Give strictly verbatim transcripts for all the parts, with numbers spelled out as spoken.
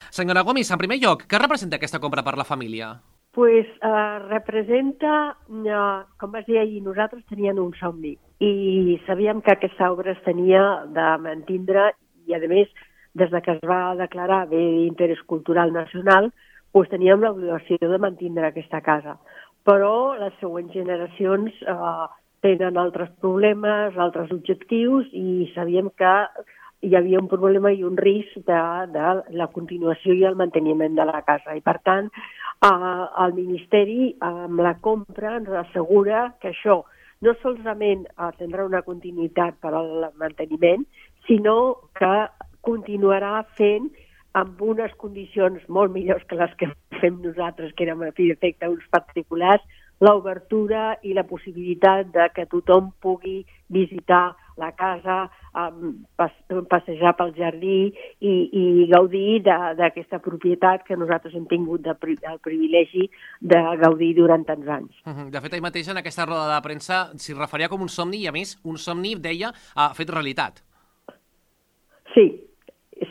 Senyora Gomis, en primer lloc, què representa aquesta compra per la família? Pues, eh, representa, eh, com vas dir ahir, nosaltres teníem un somni i sabíem que aquesta obra es tenia de mantindre i, a més, des de que es va declarar bé d'interès cultural nacional, pues, teníem l'obligació de mantindre aquesta casa. Però les següents generacions eh, tenen altres problemes, altres objectius i sabíem que hi havia un problema i un risc de, de la continuació i el manteniment de la casa. I, per tant, eh, el Ministeri, amb la compra, ens assegura que això no solament tindrà una continuïtat per al manteniment, sinó que continuarà fent amb unes condicions molt millors que les que fem nosaltres, que érem a fi d'efecte uns particulars, l'obertura i la possibilitat de que tothom pugui visitar la casa, um, passejar pel jardí i, i gaudir d'aquesta propietat que nosaltres hem tingut de, el privilegi de gaudir durant tants anys. De fet, ahir mateix en aquesta roda de premsa s'hi referia com un somni i, a més, un somni, deia, ha fet realitat. Sí,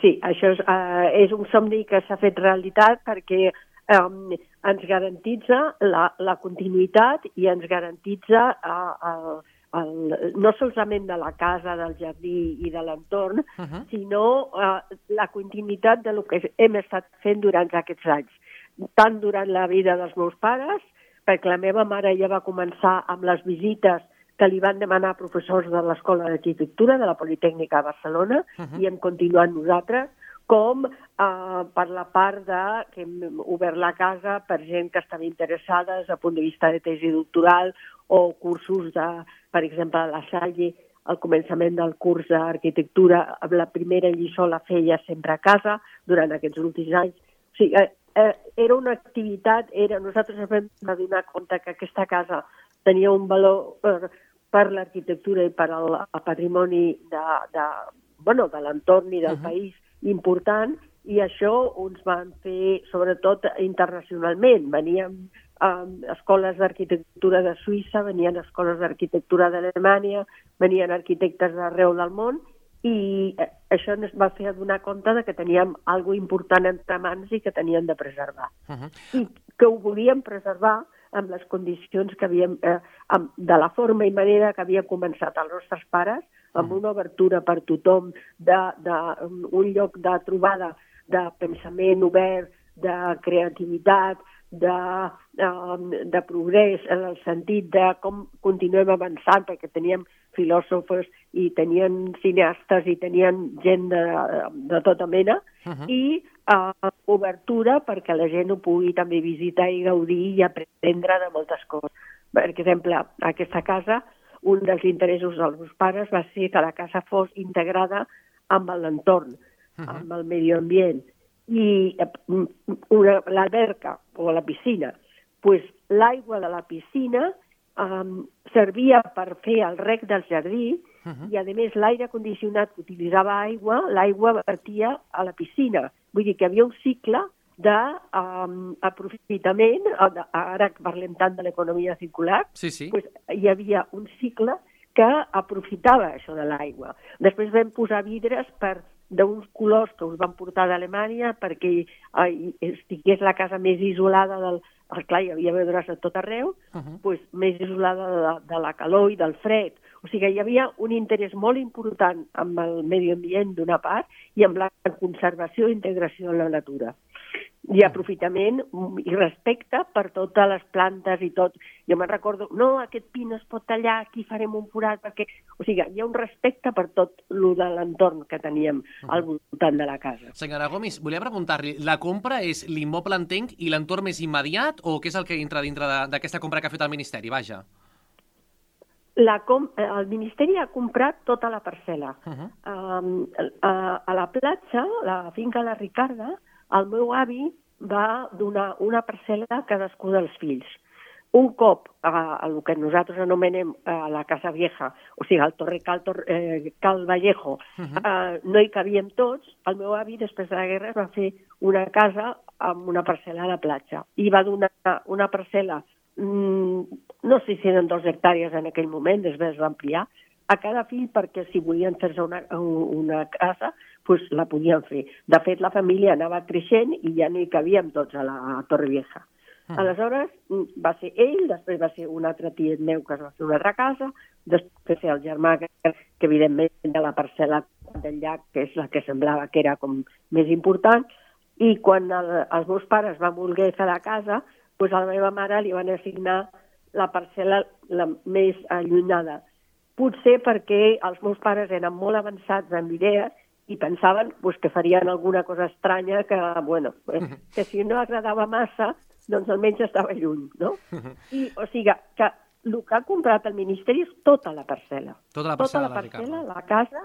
sí, això és, uh, és un somni que s'ha fet realitat perquè Um, ens garantitza la, la continuïtat i ens garantitza uh, el, el, no solament de la casa, del jardí i de l'entorn, uh -huh. sinó uh, la continuïtat de lo que hem estat fent durant aquests anys. Tant durant la vida dels meus pares, perquè la meva mare ja va començar amb les visites que li van demanar professors de l'Escola d'Arquitectura de la Politècnica de Barcelona, uh -huh. i hem continuat nosaltres, com eh, per la part de que hem obert la casa per gent que estava interessada des del punt de vista de tesi doctoral o cursos de, per exemple, a la Salle, al començament del curs d'arquitectura, la primera lliçó la feia sempre a casa durant aquests últims anys. O sigui, eh, eh, era una activitat, era, nosaltres ens vam donar compte que aquesta casa tenia un valor per, per l'arquitectura i per al, al patrimoni de, de, bueno, de l'entorn i del uh-huh. país important, i això ens van fer, sobretot internacionalment. Venien um, escoles d'arquitectura de Suïssa, venien escoles d'arquitectura d'Alemanya, venien arquitectes d'arreu del món, i això ens va fer adonar compte de que teníem alguna important entre mans i que teníem de preservar. Uh-huh. I que ho volíem preservar amb les condicions que havíem, eh, amb, de la forma i manera que havien començat els nostres pares, amb una obertura per tothom, de, de, un lloc de trobada de pensament obert, de creativitat, de, de, de progrés, en el sentit de com continuem avançant, perquè teníem filòsofs i tenien cineastes i tenien gent de, de tota mena, uh-huh. i uh, obertura perquè la gent ho pugui també visitar i gaudir i aprendre de moltes coses. Per exemple, aquesta casa, un dels interessos dels meus pares va ser que la casa fos integrada amb l'entorn, uh-huh. amb el medi ambient. I l'alberca o la piscina, pues, l'aigua de la piscina um, servia per fer el rec del jardí, uh-huh. i, a més, l'aire condicionat que utilitzava aigua, l'aigua vertia a la piscina. Vull dir que hi havia un cicle d'aprofitament, um, ara que parlem tant de l'economia circular, sí, sí. Pues, hi havia un cicle que aprofitava això de l'aigua. Després vam posar vidres per d'uns colors que us van portar d'Alemanya perquè eh, estigués la casa més isolada del... Clar, hi havia vidres a tot arreu, uh-huh. pues, més isolada de, de la calor i del fred. O sigui, hi havia un interès molt important amb el medi ambient d'una part i amb la conservació i integració en la natura. I aprofitament i respecte per totes les plantes i tot. Jo me'n recordo, no, aquest pi no es pot tallar, aquí farem un forat, perquè... O sigui, hi ha un respecte per tot el de l'entorn que teníem al voltant de la casa. Senyora Gomis, volia preguntar-li, la compra és l'immoble, entenc, i l'entorn més immediat, o què és el que entra dintre d'aquesta compra que ha fet el Ministeri? Vaja. La com el Ministeri ha comprat tota la parcel·la. Uh-huh. um, a, a la platja, la finca La Ricarda, el meu avi va donar una parcel·la a cadascú dels fills. Un cop a, a el que nosaltres anomenem a la Casa Vieja, o sigui, al Torre Cal, Tor eh, Cal Vallejo, uh-huh. eh, no hi cabíem tots, el meu avi, després de la guerra, va fer una casa amb una parcel·la a la platja. I va donar una parcel·la, mmm, no sé si eren dos hectàrees en aquell moment, després va ampliar, a cada fill perquè si volien fer-se una, una casa pues la podien fer. De fet, la família anava creixent i ja no hi cabíem tots a la Torrevieja. Mm. Aleshores, va ser ell, després va ser un altre tiet meu que es va fer una altra casa, després el germà, que, que evidentment de la parcel·la del llac, que és la que semblava que era com més important, i quan el, els meus pares van voler fer la casa, doncs a la meva mare li van assignar la parcel·la la més allunyada. Potser perquè els meus pares eren molt avançats en idees i pensaven pues, que farien alguna cosa estranya que, bueno, pues, que si no agradava massa, doncs almenys estava lluny, no? I, o sigui, que el que ha comprat el Ministeri és tota la parcel·la. Tota la parcel·la, tota la, parcel·la la casa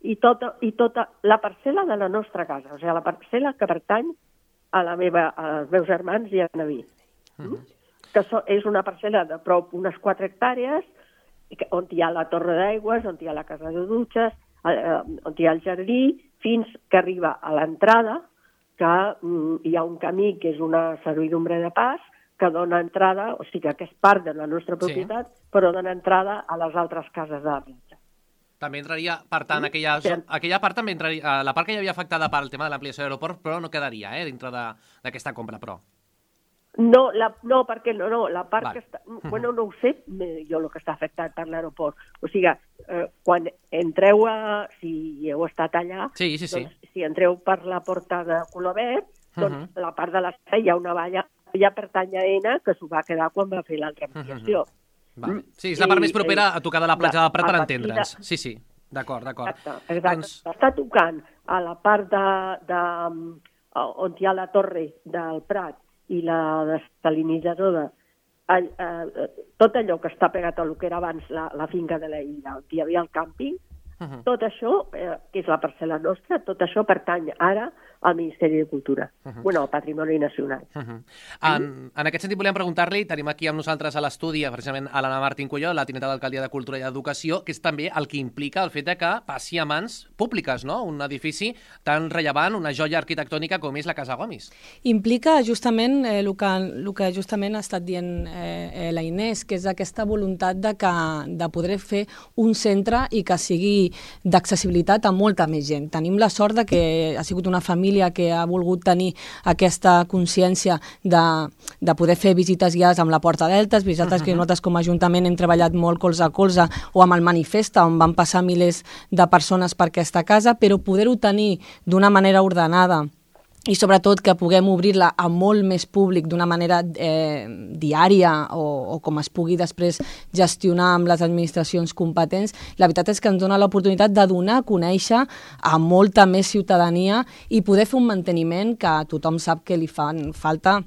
i tota, i tota la parcel·la de la nostra casa, o sigui, la parcel·la que pertany a la meva, als meus germans i a mi. Uh -huh. Que so, és una parcel·la de prop unes quatre hectàrees, on hi ha la torre d'aigües, on hi ha la casa de dutxes, eh, on hi ha el jardí, fins que arriba a l'entrada, que mm, hi ha un camí que és una servidumbre de pas, que dona entrada, o sigui que és part de la nostra propietat, sí. Però dona entrada a les altres cases de la platja. També entraria, per tant, aquella, sí. aquella part també entraria, la part que hi havia afectada pel tema de l'ampliació de l'aeroport, però no quedaria eh, dintre d'aquesta compra, però... No, la, no, perquè no, no, la part vale. que està... Bueno, no ho sé, jo el que està afectat per l'aeroport. O sigui, eh, quan entreu a... Si heu estat allà, sí, sí, sí. Doncs, si entreu per la porta de color verd, doncs uh -huh. la part de l'estat hi ha una valla, ja pertany a ENA, que s'ho va quedar quan va fer l'altra ampliació. Uh -huh. Vale. Sí, és la part I, més propera a tocar de la platja del Prat, per entendre's. Sí, sí, d'acord, d'acord. Exacte, exacte. Doncs... Està tocant a la part de, de, on hi ha la torre del Prat i la desalinitzadora, eh, eh, tot allò que està pegat a lo que era abans la, la finca de la illa, on hi havia el càmping, uh -huh. tot això, eh, que és la parcel·la nostra, tot això pertany ara al Ministeri de Cultura, uh -huh. bueno, al Patrimoni Nacional. Uh -huh. en, en aquest sentit volíem preguntar-li, tenim aquí amb nosaltres a l'estudi, precisament a l'Anna Martín Culló, la tinenta d'Alcaldia de Cultura i Educació, que és també el que implica el fet de que passi a mans públiques, no? Un edifici tan rellevant, una joia arquitectònica com és la Casa Gomis. Implica justament eh, el, que, el que justament ha estat dient eh, eh, la Inés, que és aquesta voluntat de, que, de poder fer un centre i que sigui d'accessibilitat a molta més gent. Tenim la sort de que ha sigut una família que ha volgut tenir aquesta consciència de, de poder fer visites guiades amb la Porta Deltes, visites uh -huh. que nosaltres com a Ajuntament hem treballat molt colze a colze, o amb el Manifesta, on van passar milers de persones per aquesta casa, però poder-ho tenir d'una manera ordenada i sobretot que puguem obrir-la a molt més públic d'una manera eh, diària o, o com es pugui després gestionar amb les administracions competents, la veritat és que ens dona l'oportunitat de donar a conèixer a molta més ciutadania i poder fer un manteniment que tothom sap que li fan falta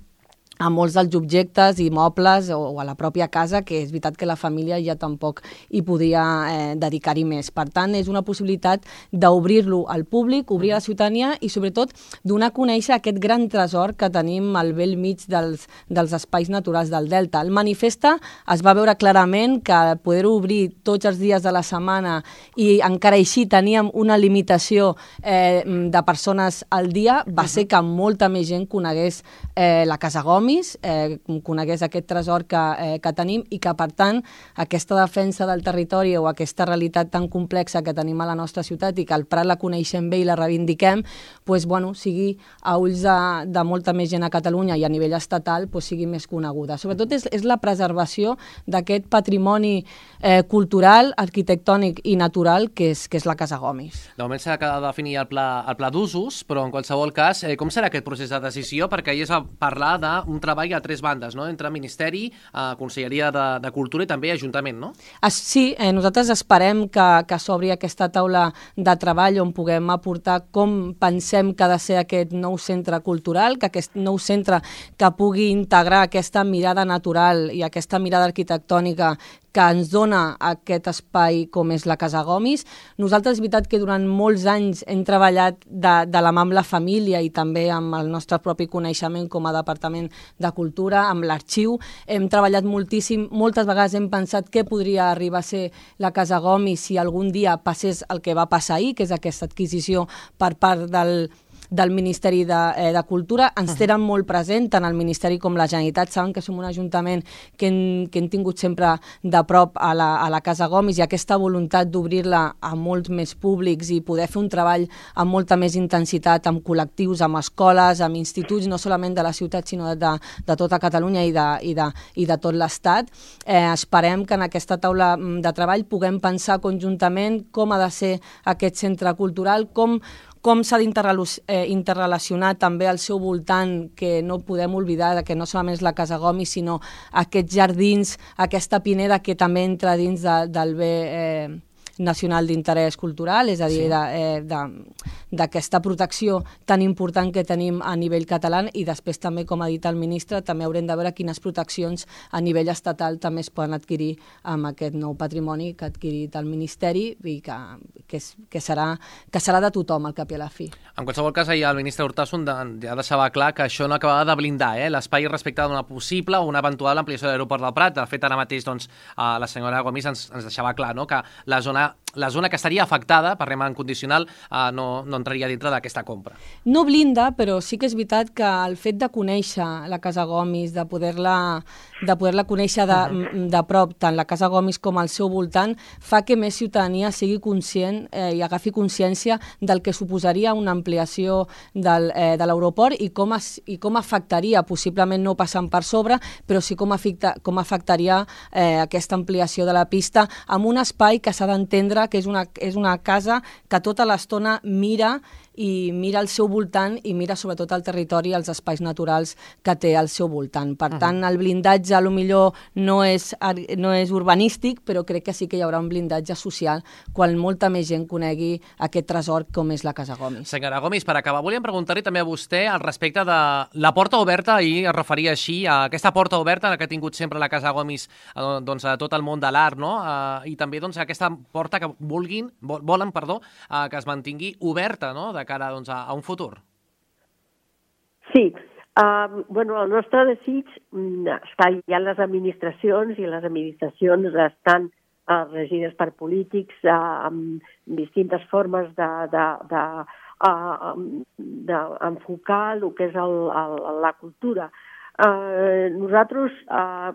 a molts dels objectes i mobles o, o a la pròpia casa, que és veritat que la família ja tampoc hi podia eh, dedicar-hi més. Per tant, és una possibilitat d'obrir-lo al públic, obrir a la ciutadania i sobretot donar a conèixer aquest gran tresor que tenim al vell mig dels, dels espais naturals del Delta. El Manifesta es va veure clarament que poder-ho obrir tots els dies de la setmana i encara així teníem una limitació eh, de persones al dia, va ser que molta més gent conegués eh, la Casa Gomis, Eh, conegués aquest tresor que, eh, que tenim i que, per tant, aquesta defensa del territori o aquesta realitat tan complexa que tenim a la nostra ciutat i que al Prat la coneixem bé i la reivindiquem, pues, bueno, sigui a ulls de, de molta més gent a Catalunya i a nivell estatal pues, sigui més coneguda. Sobretot és, és la preservació d'aquest patrimoni eh, cultural, arquitectònic i natural que és, que és la Casa Gomis. De moment s'ha de definir el pla, el pla d'usos, però en qualsevol cas, eh, com serà aquest procés de decisió? Perquè ahir es va parlar d'un treball a tres bandes, no? Entre Ministeri, eh, Conselleria de, de Cultura i també Ajuntament, no? Sí, eh, nosaltres esperem que, que s'obri aquesta taula de treball on puguem aportar com pensem que ha de ser aquest nou centre cultural, que aquest nou centre que pugui integrar aquesta mirada natural i aquesta mirada arquitectònica que ens dona aquest espai com és la Casa Gomis. Nosaltres, és veritat que durant molts anys hem treballat de, de la mà amb la família i també amb el nostre propi coneixement com a Departament de Cultura, amb l'arxiu. Hem treballat moltíssim, moltes vegades hem pensat què podria arribar a ser la Casa Gomis si algun dia passés el que va passar ahir, que és aquesta adquisició per part del del Ministeri de, eh, de Cultura. Ens tenen molt present, tant el Ministeri com la Generalitat. Saben que som un ajuntament que hem, que hem tingut sempre de prop a la, a la Casa Gomis, i aquesta voluntat d'obrir-la a molts més públics i poder fer un treball amb molta més intensitat amb col·lectius, amb escoles, amb instituts, no solament de la ciutat, sinó de, de tota Catalunya i de, i de, i de tot l'Estat. Eh, esperem que en aquesta taula de treball puguem pensar conjuntament com ha de ser aquest centre cultural, com com s'ha d'interrelacionar també al seu voltant, que no podem oblidar que no solament és la Casa Gomis, sinó aquests jardins, aquesta pineda que també entra dins de, del bé eh, nacional d'interès cultural, és a dir, d'aquesta eh, protecció tan important que tenim a nivell català, i després també, com ha dit el ministre, també haurem de veure quines proteccions a nivell estatal també es poden adquirir amb aquest nou patrimoni que ha adquirit el Ministeri i que, que, és, que, serà, que serà de tothom al cap i a la fi. En qualsevol cas, ahir el ministre Urtasun ja deixava clar que això no acabava de blindar eh, l'espai respecte d'una possible o una eventual ampliació de l'aeroport del Prat. De fet, ara mateix doncs, la senyora Gomis ens, ens deixava clar, no?, que la zona la zona que estaria afectada per rema en condicional eh, no, no entraria dintre d'aquesta compra. No blinda, però sí que és veritat que el fet de conèixer la Casa Gomis, de poder-la de poder-la conèixer de, uh-huh. de prop, tant la Casa Gomis com al seu voltant, fa que més ciutadania sigui conscient eh, i agafi consciència del que suposaria una ampliació del, eh, de l'aeroport i, com es, i com afectaria, possiblement no passant per sobre, però sí com, afecta, com afectaria eh, aquesta ampliació de la pista amb un espai que s'ha d'entendre que és una, és una casa que tota l'estona mira i mira al seu voltant i mira sobretot el territori i els espais naturals que té al seu voltant. Per uh-huh. tant, el blindatge a lo millor no és, no és urbanístic, però crec que sí que hi haurà un blindatge social quan molta més gent conegui aquest tresor com és la Casa Gomis. Senyora Gomis, per acabar, volíem preguntar-li també a vostè al respecte de la porta oberta, i es referia així a aquesta porta oberta que ha tingut sempre la Casa Gomis doncs, a tot el món de l'art, no? I també doncs, aquesta porta que vulguin, volen perdó, que es mantingui oberta, no?, de cara doncs, a, a un futur. Sí, uh, bueno, el nostre desig està ja en les administracions, i les administracions estan uh, regides per polítics uh, amb distintes formes de, de, de, uh, d'enfocar el que és el, el, la cultura. Uh, nosaltres, uh,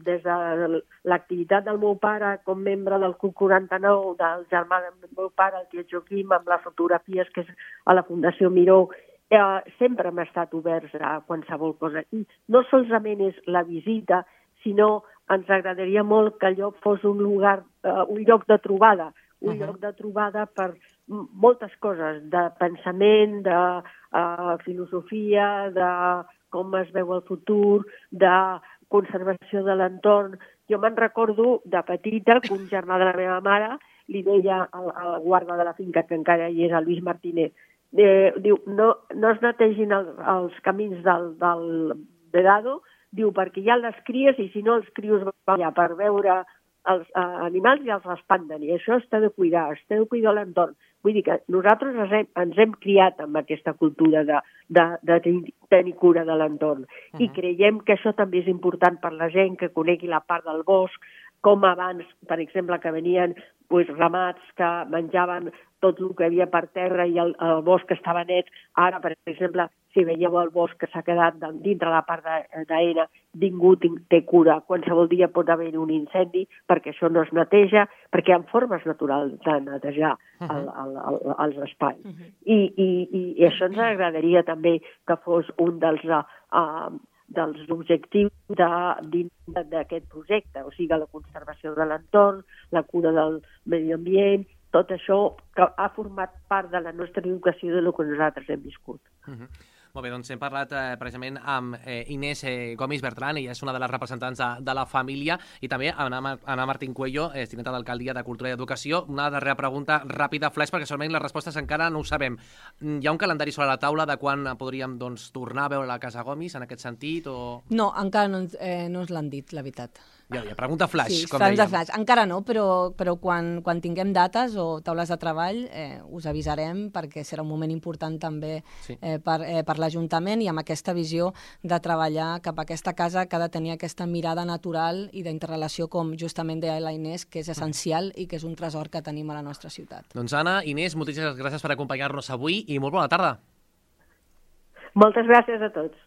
des de l'activitat del meu pare com membre del C U C quaranta-nou, del germà del meu pare, el tiet Joaquim, amb les fotografies que és a la Fundació Miró, uh, sempre hem estat oberts a qualsevol cosa. I no solament és la visita, sinó ens agradaria molt que allò fos un lugar, uh, un lloc de trobada, un uh-huh. lloc de trobada per moltes coses, de pensament, de uh, filosofia, de com es veu el futur, de conservació de l'entorn. Jo me'n recordo de petita que un germà de la meva mare li deia al, al guarda de la finca, que encara hi és, el Luis Martínez, eh, diu, no, no es netegin el, els camins del, del vedado, diu, perquè hi ha les cries i si no els crios van allà per veure els eh, animals i els espanten, i això està de cuidar, està de cuidar l'entorn. Vull dir que nosaltres ens hem, ens hem criat amb aquesta cultura de, de, de tenir cura de l'entorn. Uh-huh. I creiem que això també és important per la gent, que conegui la part del bosc, com abans, per exemple, que venien pues, ramats que menjaven tot el que hi havia per terra i el, el bosc estava net. Ara, per exemple, si veieu el bosc que s'ha quedat dintre la part d'Aena, ningú té cura. Qualsevol dia pot haver un incendi perquè això no es neteja, perquè hi ha formes naturals de netejar el, el, el, els espais. Uh-huh. I, i, I això ens agradaria també que fos un dels... Uh, dels objectius d'aquest projecte, o sigui, la conservació de l'entorn, la cura del medi ambient, tot això que ha format part de la nostra educació de lo que nosaltres hem viscut. Uh-huh. Molt bé, doncs hem parlat eh, precisament amb eh, Inés eh, Gomis Bertran, ella és una de les representants de, de la família, i també Ana, Ana Martín Cuello, eh, tinenta d'Alcaldia de Cultura i Educació. Una darrera pregunta ràpida, flash, perquè segurament les respostes encara no ho sabem. Hi ha un calendari sobre la taula de quan podríem doncs, tornar a veure la Casa Gomis en aquest sentit? O... No, encara no, eh, no ens l'han dit, la veritat. Ja, ja, pregunta flash, sí, com dèiem. Flash. Encara no, però, però quan, quan tinguem dates o taules de treball eh, us avisarem, perquè serà un moment important també sí. eh, per, eh, per l'Ajuntament, i amb aquesta visió de treballar cap a aquesta casa que ha de tenir aquesta mirada natural i d'interrelació, com justament deia la Inés, que és essencial i que és un tresor que tenim a la nostra ciutat. Doncs Anna, Inés, moltíssimes gràcies per acompanyar-nos avui i molt bona tarda. Moltes gràcies a tots.